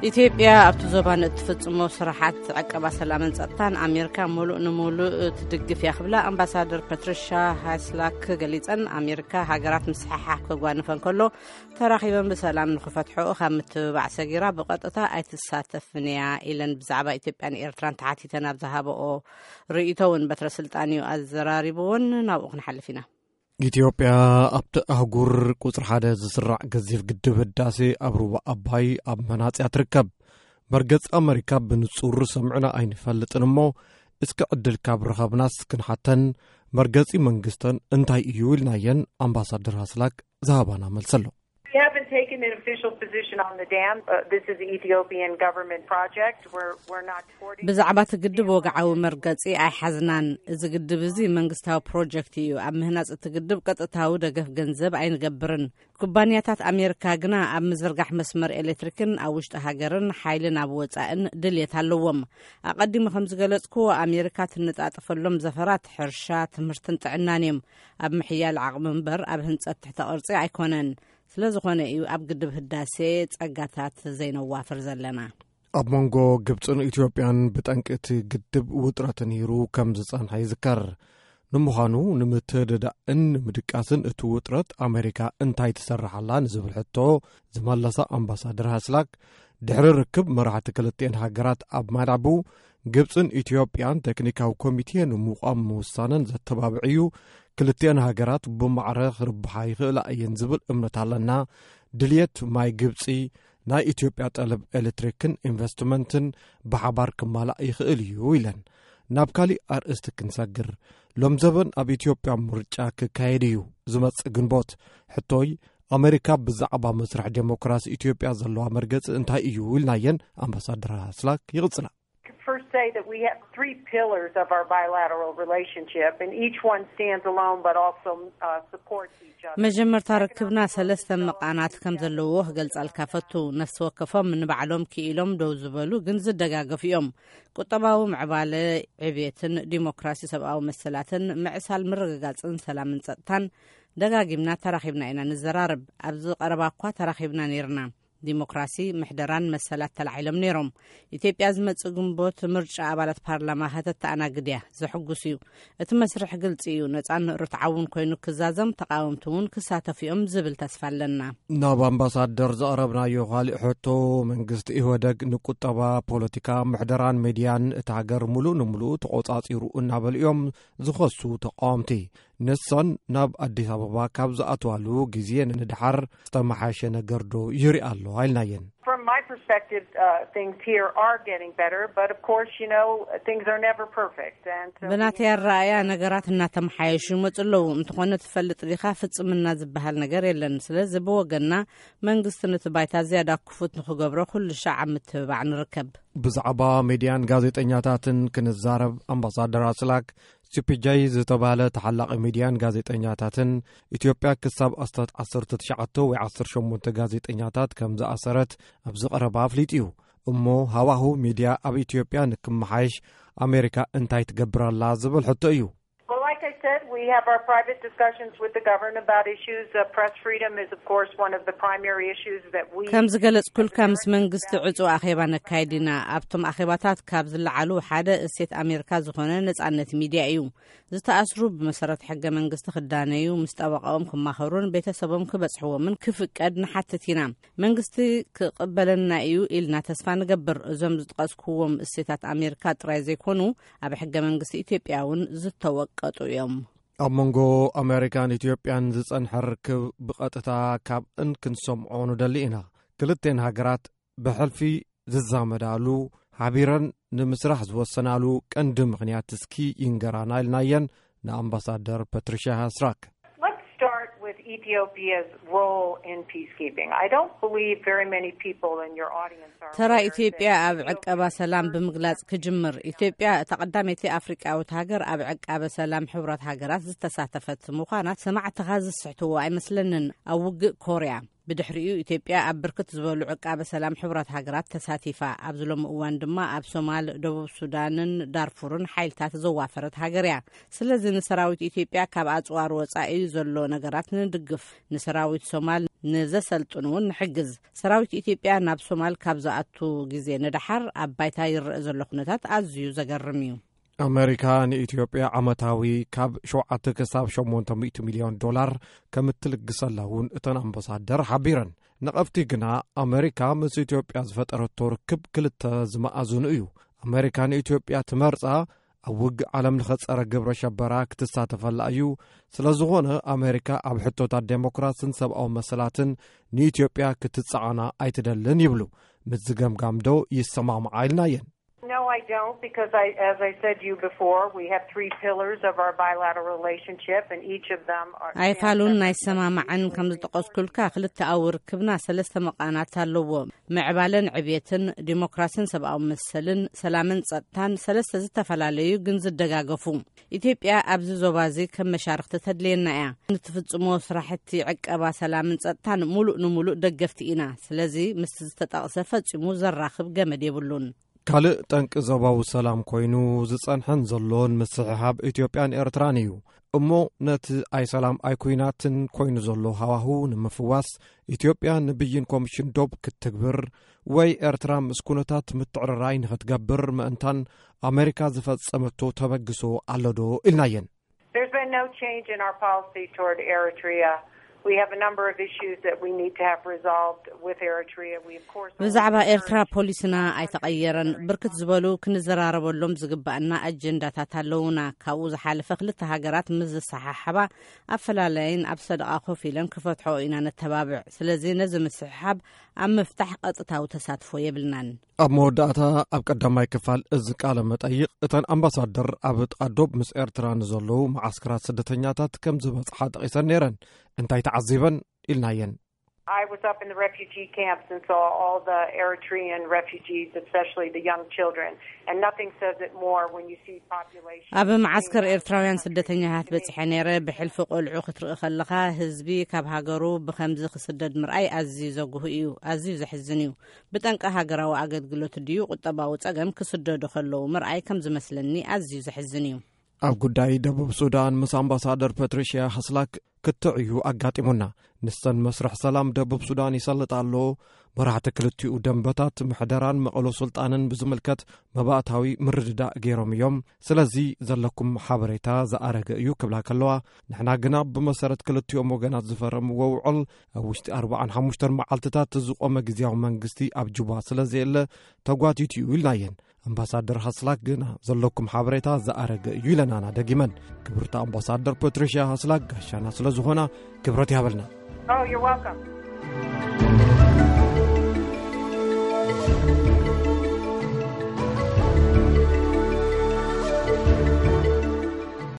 ኢትዮጵያ ኣብቲ ዞባ ንእትፍጽሞ ስራሓት ዕቀባ ሰላምን ጸጥታን ኣሜሪካ ሙሉእ ንሙሉእ ትድግፍ እያ ክብላ ኣምባሳደር ፓትሪሻ ሃስላክ ገሊጸን። ኣሜሪካ ሃገራት ምስሕሓብ ከጓንፈን ከሎ ተራኺበን ብሰላም ንኽፈትሖ ካብ ምትብባዕ ሰጊራ ብቐጥታ ኣይትሳተፍን እያ ኢለን። ብዛዕባ ኢትዮጵያን ኤርትራን ተሓቲተን ኣብ ዝሃበኦ ርእይቶ እውን በትረ ስልጣን እዩ ኣዘራሪብዎን። ናብኡ ክንሓልፍ ኢና። ኢትዮጵያ ኣብቲ ኣህጉር ቁጽሪ ሓደ ዝስራዕ ገዚፍ ግድብ ህዳሴ ኣብ ሩባ ኣባይ ኣብ መናጽያ ትርከብ። መርገጺ ኣመሪካ ብንጹር ሰምዕና ኣይንፈልጥን እሞ፣ እስኪ ዕድል ካብ ረኸብናስ ክንሓተን፣ መርገጺ መንግስተን እንታይ እዩ ኢልናየን ኣምባሳደር ሃስላክ ዝሃባና መልሲ ኣሎ። We haven't taken an official position on the dam. Uh, this is the Ethiopian government project. We're, we're not supporting ብዛዕባ እቲ ግድብ ወግዓዊ መርገጺ ኣይሓዝናን። እዚ ግድብ እዚ መንግስታዊ ፕሮጀክት እዩ። ኣብ ምህናጽ እቲ ግድብ ቀጥታዊ ደገፍ ገንዘብ ኣይንገብርን። ኩባንያታት ኣሜሪካ ግና ኣብ ምዝርጋሕ መስመር ኤሌክትሪክን ኣብ ውሽጢ ሃገርን ሓይሊ ናብ ወጻእን ድልየት ኣለዎም። ኣቐዲሙ ከም ዝገለጽክዎ፣ ኣሜሪካ ትነጣጥፈሎም ዘፈራት ሕርሻ፣ ትምህርትን ጥዕናን እዮም። ኣብ ምሕያል ዓቕሚ እምበር ኣብ ህንጸት ትሕተ ቅርጺ ኣይኮነን። ስለ ዝኾነ እዩ ኣብ ግድብ ህዳሴ ጸጋታት ዘይነዋፍር ዘለና። ኣብ መንጎ ግብጽን ኢትዮጵያን ብጠንቂ እቲ ግድብ ውጥረት ነይሩ ከም ዝጸንሐ ይዝከር። ንምዃኑ ንምትርዳእን ንምድቃስን እቲ ውጥረት ኣሜሪካ እንታይ ትሰርሓላ ንዝብል ሕቶ ዝመለሳ ኣምባሳደር ሃስላክ፣ ድሕሪ ርክብ መራሕቲ ክልቲኤን ሃገራት ኣብ ማላቡ፣ ግብጽን ኢትዮጵያን ቴክኒካዊ ኮሚቴ ንምቋም ምውሳነን ዘተባብዕ እዩ። ክልቲኤን ሃገራት ብማዕረ ክርብሓ ይኽእላ እየን ዝብል እምነት ኣለና። ድልየት ማይ ግብጺ፣ ናይ ኢትዮጵያ ጠለብ ኤሌክትሪክን ኢንቨስትመንትን ብሓባር ክማላእ ይኽእል እዩ ኢለን። ናብ ካሊእ ኣርእስቲ ክንሰግር። ሎም ዘበን ኣብ ኢትዮጵያ ምርጫ ክካየድ እዩ ዝመጽእ ግንቦት። ሕቶይ፣ ኣሜሪካ ብዛዕባ መስርሕ ዴሞክራሲ ኢትዮጵያ ዘለዋ መርገጺ እንታይ እዩ ኢልናየን ኣምባሳደር ሃስላክ ይቕጽላ። First say that we have three pillars of our bilateral relationship, and each one stands alone but also uh, supports each other. መጀመርታ ርክብና ሰለስተ መቓናት ከም ዘለዎ ክገልጸልካ ፈቱ። ነፍሲ ወከፎም ንባዕሎም ክኢሎም ደው ዝበሉ ግን ዝደጋገፉ እዮም። ቁጠባዊ ምዕባለ፣ ዕብየትን ዲሞክራሲ፣ ሰብኣዊ መሰላትን ምዕሳል ምርግጋጽን ሰላምን ጸጥታን። ደጋጊምና ተራኺብና ኢና ንዘራርብ። ኣብዚ ቀረባ እኳ ተራኺብና ነይርና። ዲሞክራሲ፣ ምሕደራን መሰላት ተላዒሎም ነይሮም። ኢትዮጵያ ዝመጽእ ግንቦት ምርጫ ኣባላት ፓርላማ ከተተኣናግድ እያ። ዘሕጉስ እዩ። እቲ መስርሕ ግልጺ እዩ። ነጻን ርትዓውን ኮይኑ ክዛዘም፣ ተቃወምቲ እውን ክሳተፉ እዮም ዝብል ተስፋ ኣለና። ናብ ኣምባሳደር ዘቕረብናዮ ካልእ ሕቶ፣ መንግስቲ ኢህወደግ ንቁጠባ፣ ፖለቲካ፣ ምሕደራን ሜድያን እቲ ሃገር ሙሉእ ንሙሉእ ተቆጻጺሩ እናበሉ እዮም ዝኸሱ ተቃወምቲ። ንሶን ናብ ኣዲስ ኣበባ ካብ ዝኣትዋሉ ግዜ ንድሓር ዝተመሓየሸ ነገር ዶ ይርኢ ኣሎ? ኣይልናየን። From my perspective, uh, things here are getting better, but of course, you know, things are never perfect. And so we ብናተይ ኣረኣእያ ነገራት እናተመሓየሹ ይመጹ ኣለዉ። እንተኾነ ትፈልጥ ዲኻ፣ ፍጽምና ዝበሃል ነገር የለን። ስለዚ ብወገንና መንግስቲ ነቲ ባይታ ዝያዳ ክፉት ንኽገብሮ ኩሉ ሻዕ ኣብ ምትብባዕ ንርከብ። ብዛዕባ ሜድያን ጋዜጠኛታትን ክንዛረብ፣ ኣምባሳደር ኣስላክ፣ ሲ ፒ ጄ ዝተባህለ ተሓላቒ ሚድያን ጋዜጠኛታትን፣ ኢትዮጵያ ክሳብ ኣስታት ዓሰርተ ትሽዓተ ወይ ዓሰርተ ሸሞንተ ጋዜጠኛታት ከም ዝኣሰረት ኣብዚ ቀረባ ኣፍሊጡ እዩ። እሞ ሃዋሁ ሚድያ ኣብ ኢትዮጵያ ንክመሓየሽ ኣሜሪካ እንታይ ትገብር ኣላ ዝብል ሕቶ እዩ። Well, like I said, we have our private discussions with the government about issues. Uh, press freedom is, of course, one of the primary issues that we ከም ዝገለጽኩልካ፣ ምስ መንግስቲ ዕጹ ኣኼባ ነካይድ ኢና። ኣብቶም ኣኼባታት ካብ ዝለዓሉ ሓደ እሴት ኣሜሪካ ዝኾነ ነጻነት ሚድያ እዩ። ዝተኣስሩ ብመሰረት ሕገ መንግስቲ ክዳነዩ፣ ምስ ጠበቃኦም ክማኸሩን ቤተሰቦም ክበጽሕዎምን ክፍቀድ ንሓትት ኢና። መንግስቲ ክቕበለና እዩ ኢልና ተስፋ ንገብር። እዞም ዝጠቐስኩዎም እሴታት ኣሜሪካ ጥራይ ዘይኮኑ፣ ኣብ ሕገ መንግስቲ ኢትዮጵያ እውን ዝተወቀጡ እዮም። ኣብ መንጎ ኣሜሪካን ኢትዮጵያን ዝጸንሐ ርክብ ብቐጥታ ካብ እንክንሰምዖ ንደሊ ኢና። ክልቴን ሃገራት ብሕልፊ ዝዛመዳሉ፣ ሓቢረን ንምስራሕ ዝወሰናሉ ቀንዲ ምኽንያት እስኪ ይንገራና ኢልናየን ንኣምባሳደር ፓትሪሻ ሃስራክ። Let's start with Ethiopia's role in peacekeeping. I don't believe very many people in your audience are ተራ aware ኢትዮጵያ that ኣብ Ethiopia ዕቀባ ሰላም ብምግላጽ ክጅምር። ኢትዮጵያ እታ ቀዳመይቲ ኣፍሪቃዊት ሃገር ኣብ ዕቃበ ሰላም ሕቡራት ሃገራት ዝተሳተፈት ምዃና ሰማዕትኻ ዝስሕትዎ ኣይመስለንን። ኣብ ውግእ ኮርያ ብድሕሪኡ ኢትዮጵያ ኣብ ብርክት ዝበሉ ዕቃበ ሰላም ሕቡራት ሃገራት ተሳቲፋ። ኣብዚ ሎሚ እዋን ድማ ኣብ ሶማል፣ ደቡብ ሱዳንን ዳርፉርን ሓይልታት ዘዋፈረት ሃገር እያ። ስለዚ ንሰራዊት ኢትዮጵያ ካብ ኣጽዋር ወጻኢ ዘሎ ነገራት ንድግፍ። ንሰራዊት ሶማል ንዘሰልጥኑ እውን ንሕግዝ። ሰራዊት ኢትዮጵያ ናብ ሶማል ካብ ዝኣቱ ግዜ ንደሓር ኣብ ባይታ ይረአ ዘሎ ኩነታት ኣዝዩ ዘገርም እዩ። ኣመሪካ ንኢትዮጵያ ዓመታዊ ካብ ሸውዓተ ክሳብ ሸሞንተ ሚእቲ ሚልዮን ዶላር ከም እትልግሰላ እውን እተን ኣምባሳደር ሓቢረን። ነቐፍቲ ግና ኣመሪካ ምስ ኢትዮጵያ ዝፈጠረቶ ርክብ ክልተ ዝመኣዝኑ እዩ። ኣመሪካ ንኢትዮጵያ ትመርጻ ኣብ ውግእ ዓለም ለኸ ጸረ ግብረ ሸበራ ክትሳተፈላ እዩ። ስለ ዝኾነ ኣመሪካ ኣብ ሕቶታት ዴሞክራስን ሰብኣዊ መሰላትን ንኢትዮጵያ ክትጸዓና ኣይትደልን ይብሉ። ምስ ዝገምጋም ዶ ይሰማማዓ ኢልናየን። No, I don't, because I, as I said to you before, we have three pillars of our bilateral relationship, and each of them are ኣይፋሉን ናይ ሰማማዕን ከም ዝጠቐስኩልካ ክልተኣዊ ርክብና ሰለስተ መቓናት ኣለዎ። ምዕባለን ዕብየትን፣ ዲሞክራሲን ሰብኣዊ መሰልን፣ ሰላምን ጸጥታን ሰለስተ ዝተፈላለዩ ግን ዝደጋገፉ። ኢትዮጵያ ኣብዚ ዞባ እዚ ከም መሻርክቲ ተድልየና እያ። ንትፍጽሞ ስራሕቲ ዕቀባ ሰላምን ጸጥታን ሙሉእ ንሙሉእ ደገፍቲ ኢና። ስለዚ ምስቲ ዝተጠቕሰ ፈጺሙ ዘራኽብ ገመድ የብሉን። ካልእ ጠንቂ ዞባዊ ሰላም ኮይኑ ዝጸንሐን ዘሎን ምስሕሓብ ኢትዮጵያን ኤርትራን እዩ። እሞ ነቲ ኣይሰላም ኣይኩናትን ኮይኑ ዘሎ ሃዋሁ ንምፍዋስ ኢትዮጵያ ንብይን ኮሚሽን ዶብ ክትትግብር ወይ ኤርትራ ምስ ኩነታት ምትዕርራይ ንኽትገብር ምእንታን ኣመሪካ ዝፈጸመቶ ተበግሶ ኣሎ ዶ ኢልናየን። There's been no change in our policy toward Eritrea. We have a number of issues that we need to have resolved with Eritrea. We, of course, ብዛዕባ ኤርትራ ፖሊስና ኣይተቐየረን። ብርክት ዝበሉ ክንዘራረበሎም ዝግባኣና ኣጀንዳታት ኣለውና። ካብኡ ዝሓለፈ ክልተ ሃገራት ምስ ዝሰሓሓባ ኣፈላላይን ኣብ ሰደቓ ኮፍ ኢለን ክፈትሖ ኢና ነተባብዕ። ስለዚ ነዚ ምስሕሓብ ኣብ ምፍታሕ ቀጥታዊ ተሳትፎ የብልናን። ኣብ መወዳእታ ኣብ ቀዳማይ ክፋል እዚ ቃለ መጠይቕ እተን ኣምባሳደር ኣብ ጥቓ ዶብ ምስ ኤርትራ ንዘለዉ መዓስከራት ስደተኛታት ከም ዝበጽሓ ጠቒሰን ነይረን። እንታይ ተዓዚበን ኢልናየን። I was up in the refugee camps and saw all the Eritrean refugees, especially the young children. And nothing says it more when you see population. ኣብ መዓስከር ኤርትራውያን ስደተኛታት በጺሐ ነይረ። ብሕልፊ ቆልዑ ክትርኢ ከለኻ ህዝቢ ካብ ሃገሩ ብኸምዚ ክስደድ ምርኣይ ኣዝዩ ዘጉህ እዩ፣ ኣዝዩ ዘሕዝን እዩ። ብጠንቂ ሃገራዊ ኣገልግሎት ድዩ ቁጠባዊ ጸገም ክስደዱ ከለዉ ምርኣይ ከም ዝመስለኒ ኣዝዩ ዘሕዝን እዩ። ኣብ ጉዳይ ደቡብ ሱዳን ምስ ኣምባሳደር ፓትሪሽያ ሃስላክ ክትዕ እዩ ኣጋጢሙና። ንሰን መስርሕ ሰላም ደቡብ ሱዳን ይሰልጥ ኣሎ። መራሕቲ ክልቲኡ ደንበታት ምሕደራን መቐሎ ስልጣንን ብዝምልከት መባእታዊ ምርድዳእ ገይሮም እዮም። ስለዚ ዘለኩም ሓበሬታ ዝኣረገ እዩ ክብላ ከለዋ፣ ንሕና ግና ብመሰረት ክልቲኦም ወገናት ዝፈረምዎ ውዕል ኣብ ውሽጢ ኣርባዓን ሓሙሽተን መዓልትታት ዝቖመ ግዝያዊ መንግስቲ ኣብ ጁባ ስለ ዘየለ ተጓቲቱ እዩ ኢልናየን። ኣምባሳደር ሃስላክ ግና ዘለኩም ሓበሬታ ዝኣረገ እዩ ኢለናና ደጊመን። ክብርቲ ኣምባሳደር ፓትሪሽያ ሃስላክ ጋሻና ስለ ዝኾና ክብረት ይሃበልና። Oh, you're welcome.